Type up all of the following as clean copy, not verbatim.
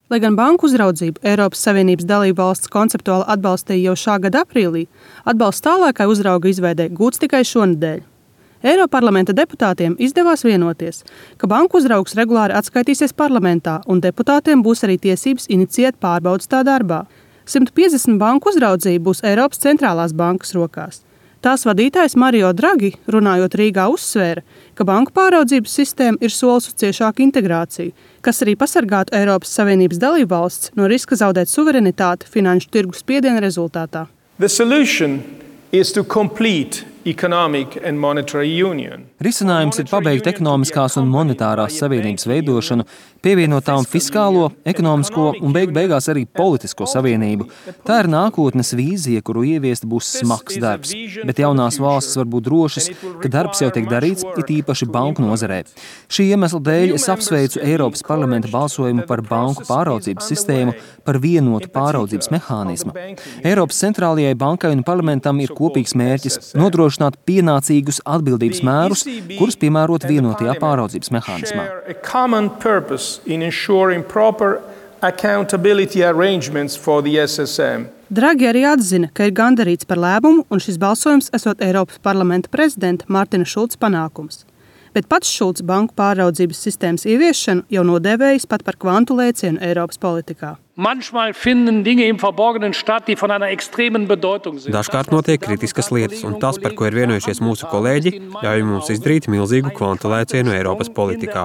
Lai gan banku uzraudzību Eiropas Savienības dalībvalstis konceptuāli atbalstīja jau šā gada aprīlī, atbalsts tālākai uzrauga izveidei gūts tikai šonedēļ. Eiroparlamenta deputātiem izdevās vienoties, ka banku uzraugs regulāri atskaitīsies parlamentā un deputātiem būs arī tiesības inicijēt pārbaudes tā darbā. 150 banku uzraudzība būs Eiropas centrālās bankas rokās. Tās vadītājs Mario Draghi, runājot Rīgā, uzsvēra, ka banku pāraudzības sistēma ir solis uz ciešāku integrāciju, kas arī pasargātu Eiropas Savienības dalībvalsts no riska zaudēt suverenitāti finanšu tirgu spiediena rezultātā. The solution is to complete economic and monetary union. Risinājums ir pabeigt ekonomiskās un monetārās savienības veidošanu, pievienotām fiskālo, ekonomisko un beigās arī politisko savienību. Tā ir nākotnes vīzija, kuru ieviest būs smags darbs, bet jaunās valstis var būt drošas, ka darbs jau tiek darīts, it īpaši banku nozarē. Šī iemesla dēļ es apsveicu Eiropas parlamenta balsojumu par banku pāraudzības sistēmu, par vienotu pāraudzības mehānismu. Eiropas centrālajai bankai un parlamentam ir kopīgs mērķis nodrošināt pienācīgus atbildības mērus, kurus piemērot vienotajā pāraudzības mehānismā. Draghi arī atzina, ka ir gandarīts par lēmumu un šis balsojums esot Eiropas parlamenta prezidenta Martina Šulca panākums. Bet pats Šulcs banku pāraudzības sistēmas ieviešanu jau nodēvējis pat par kvantu lēcienu Eiropas politikā. Dažkārt notiek kritiskas lietas, un tas, par ko ir vienojušies mūsu kolēģi, ļauj mums izdarīt milzīgu kvantu lēcienu Eiropas politikā.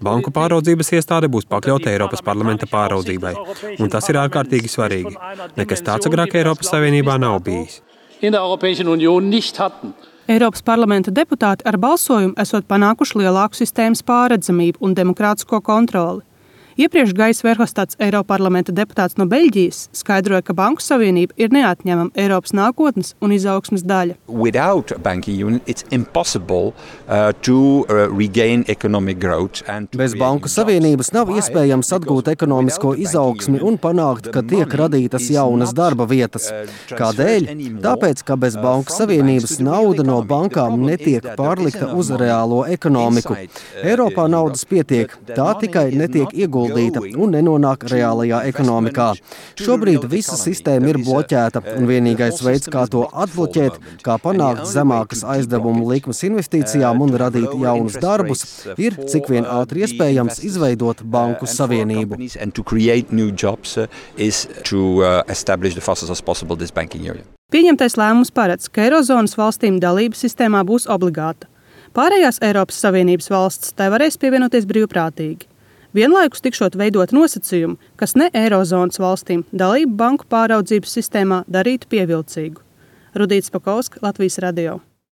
Banku pāraudzības iestāde būs pakļauta Eiropas parlamenta pāraudzībai, un tas ir ārkārtīgi svarīgi. Nekas tāds agrāk Eiropas Savienībā nav bijis. Eiropas parlamenta deputāti ar balsojumu esot panākuši lielāku sistēmas pārredzamību un demokrātisko kontroli. Iepriekš Gais Verhofstadts, Eiroparlamenta deputāts no Beļģijas, skaidroja, ka Banku Savienība ir neatņemama Eiropas nākotnes un izaugsmes daļa. Bez Banku Savienības nav iespējams atgūt ekonomisko izaugsmi un panākt, ka tiek radītas jaunas darba vietas. Kādēļ? Tāpēc, ka bez Banku Savienības nauda no bankām netiek pārlikta uz reālo ekonomiku. Eiropā naudas pietiek, tā tikai netiek ieguldīta un nenonāk reālajā ekonomikā. Šobrīd visa sistēma ir bloķēta, un vienīgais veids, kā to atbloķēt, kā panākt zemākas aizdevumu likmes investīcijām un radīt jaunus darbus, ir cik vien ātri iespējams izveidot Banku Savienību. Pieņemtais lēmums paredz, ka Eirozonas valstīm dalība sistēmā būs obligāta. Pārējās Eiropas Savienības valstis tai varēs pievienoties brīvprātīgi. Vienlaikus tikšot veidot nosacījumu, kas ne Eirozonas valstīm dalību banku pāraudzības sistēmā darītu pievilcīgu. Rudīts Pakovska, Latvijas radio.